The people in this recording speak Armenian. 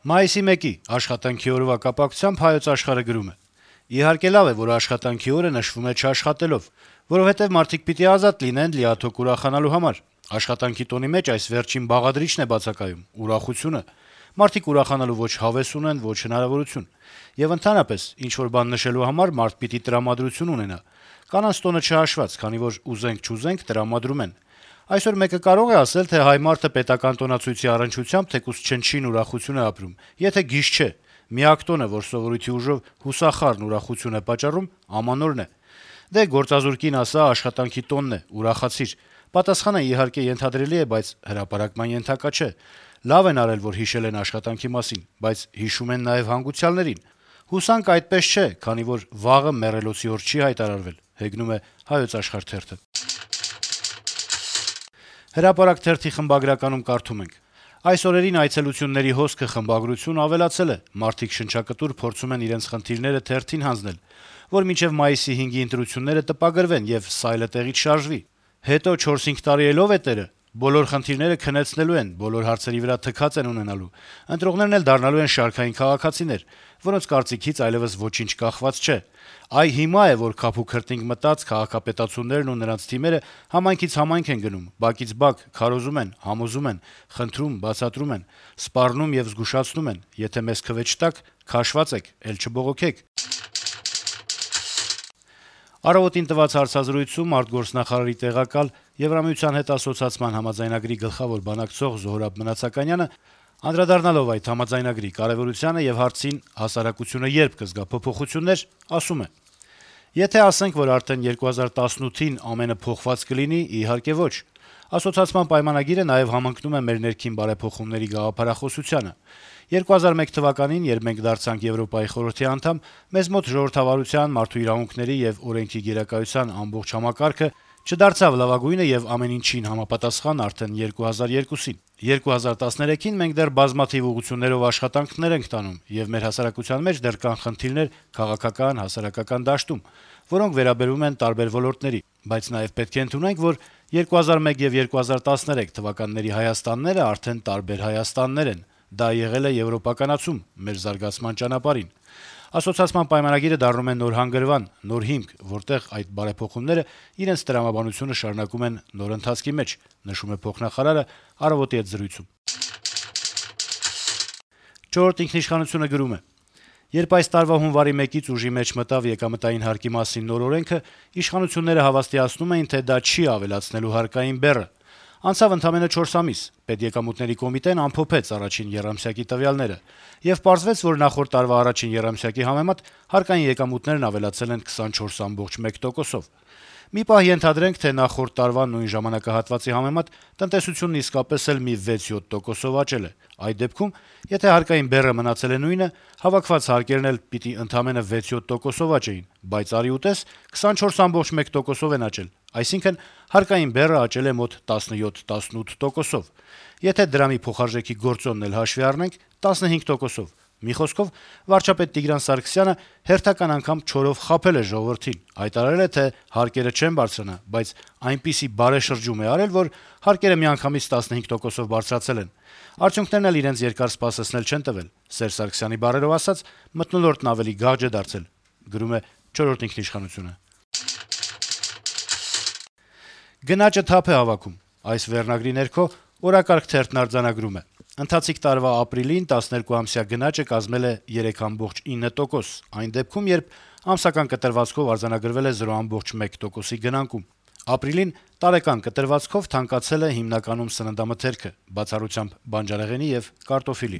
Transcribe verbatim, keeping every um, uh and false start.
Մայիսի մեկի աշխատանքի օրվա կապակցությամբ Հայոց Աշխարհը գրում է. - «Իհարկե լավ է, որ աշխատանքի օրը նշվում է չաշխատելով, որովհետեւ մարդիկ պիտի ազատ լինեն լիաթոք ուրախանալու համար: Աշխատանքի տոնի մեջ այս վերջին բաղադրիչն է բացակայում՝ ուրախությունը: Մարդիկ ուրախանալու ոչ հավես ունեն, ոչ հնարավորություն: Եվ ընդհանրապես, ինչ-որ բան նշելու համար մարդ պիտի տրամադրություն ունենա: Կանանց տոնը չհաշված, քանի որ ուզենք-չուզենք տրամադրում են: Այսօր մեկը կարող է ասել, թե հայ մարդը պետական տոնացույցի առնչությամբ թեկուզ չնչին ուրախություն է ապրում, եթե գիժ չէ: Միակ տոնը, որ սովորույթի ուժով հուսախառն ուրախություն է պատճառում, Ամանորն է: Դե, գործազուրկ կին ասա՝ աշխատանքի տոնն է, ուրախացիր: Պատասխանը, իհարկե, ենթադրելի է, բայց հրապարակման ենթակա չէ: Լավ են արել, որ հիշել են աշխատանքի մասին, բայց հիշում են նաեւ հանգուցյալներին: Հուսանք այդպես չէ, քանի որ վաղը մեռելոցի օր չի հայտարարվել»: «Հրապարակ» թերթի խմբագրականում կարդում ենք. - «Այս օրերին այցելությունների հոսքը խմբագրություն ավելացել է: Մարդիկ շնչակտուր փորձում են իրենց խնդիրները թերթին հանձնել, որ մինչեւ մայիսի հինգի ընտրությունները տպագրվեն եւ սայլը տեղից շարժվի: Հետո չորս-հինգ տարի էլո՞վ է տերը: Բոլոր խնդիրները քնեցնելու են, բոլոր հարցերի վրա թքած են ունենալու: Ընտրողներն էլ դառնալու են շարքային քաղաքացիներ, որոնց կարծիքից այլեւս ոչինչ կախված չէ: Այ հիմա է, որ քափ ու քրտինք մտած քաղաքապետացուներն ու նրանց թիմերը համայնքից համայնք են գնում, բակից բակ, քարոզում են, համոզում են, խնդրում, բացատրում են, սպառնում եւ զգուշացնում են. եթե մեզ քվե չտաք, քաշված եք, էլ չբողոքեք»: «Առավոտ»-ին տված հարցազրույցում արտգործնախարարի տեղակալ, Եվրամիության հետ ասոցացման համաձայնագրի գլխավոր բանակցող Զոհրաբ Մնացականյանը, անդրադառնալով այդ համաձայնագրի կարեւորությանը եւ հարցին՝ հասարակությունը երբ կզգա փոփոխություններ, ասում է. - «Եթե ասենք, որ արդեն երկու հազար տասնութին ամենը փոխված կլինի, իհարկե ոչ: Ասոցացման պայմանագիրը նաեւ համընկնում է մեր ներքին բարեփոխումների գաղափարախոսությանը: երկու հազար մեկ թվականին, երբ մենք դարձանք Եվրոպայի խորհրդի անդամ, մեզ մոտ ժողովրդավարության, մարդու իրավունքների եւ օրենքի գերակայության ամբողջ համակարգը չդարձավ լավագույնը եւ ամեն ինչին համապատասխան արդեն երկու հազար երկուսին: երկու հազար տասներեքին մենք դեռ բազմաթիվ ուղղություններով աշխատանքներ ենք տանում, եւ մեր հասարակության մեջ դեռ կան խնդիրներ քաղաքական, հասարակական դաշտում, որոնք վերաբերում են տարբեր ոլորտների: Բայց նաեւ պետք է ընդունենք, որ երկու հազար մեկ եւ երկու հազար տասներեք թվականների Հայաստանները արդեն տարբեր Հայաստաններ են: Դա եղել է եվրոպականացում մեր զարգացման ճանապարհին: Ասոցիացիան պայմանագիրը դառնում է նոր հանգրվան, նոր հիմք, որտեղ այդ բարեփոխումները իրենց տրամաբանությունը շարունակում են նոր ընթացքի մեջ»: «Չորրորդ ինքնիշխանություն»-ը գրում է. - «Երբ այս տարվա հունվարի մեկից ուժի մեջ մտավ եկամտային հարկի մասին նոր օրենքը, իշխանությունները հավաստիացնում էին, թե դա չի ավելացնելու հարկային բեռը: Անցավ ընդամենը չորս ամիս, Պետեկամուտների կոմիտեն ամփոփեց առաջին եռամսյակի տվյալները, եւ պարզվեց, որ նախորդ տարվա առաջին եռամսյակի համեմատ հարկային եկամուտներն ավելացել են քսանչորս կόμμα մեկ տոկոսով: Մի պահ ենթադրենք, թե նախորդ տարվա նույն ժամանակահատվածի համեմատ տնտեսությունն իսկապես էլ մի վեց-յոթ տոկոսով աճել է: Այդ դեպքում, եթե հարկային բեռը մնացել է նույնը, հավաքված հարկերն էլ պիտի ընդամենը վեց-յոթ տոկոսով աճեին, բայց արի ու տես, քսանչորս կόμμα մեկ տոկոսով են աճել: Այսինքն՝ հարկային բեռը աճել է մոտ տասնյոթ-տասնութ տոկոսով: Եթե դրամի փոխարժեքի գործոնն էլ հաշվի առնենք՝ տասնհինգ տոկոսով: Մի խոսքով, վարչապետ Տիգրան Սարգսյանը հերթական անգամ չորով խաբել է ժողովրդին, հայտարարել է, թե հարկերը չեն բարձրանա, բայց այնպիսի բարեշրջում է արել, որ հարկերը միանգամից տասնհինգ տոկոսով բարձրացել են: Արդյունքներն էլ իրենց երկար սպասեցնել չեն տվել: Սերժ Սարգսյանի բառերով ասած՝ մթնոլորտն ավելի գարջ է դարձել»: «Գնաճը թափ է հավաքում» այս վերնագրի ներքո «Օրակարգ» թերթն արձանագրում է. - «Ընթացիկ տարվա ապրիլին տասներկուամսյա գնաճը կազմել է երեք կόμμα ինը տոկոս, այն դեպքում, երբ ամսական կտրվածքով արձանագրվել է զրո կόμμα մեկ տոկոսի գնանկում: Ապրիլին տարեկան կտրվածքով թանկացել է հիմնականում սննդամթերքը, բացառությամբ բանջարեղենի եւ կարտոֆիլի: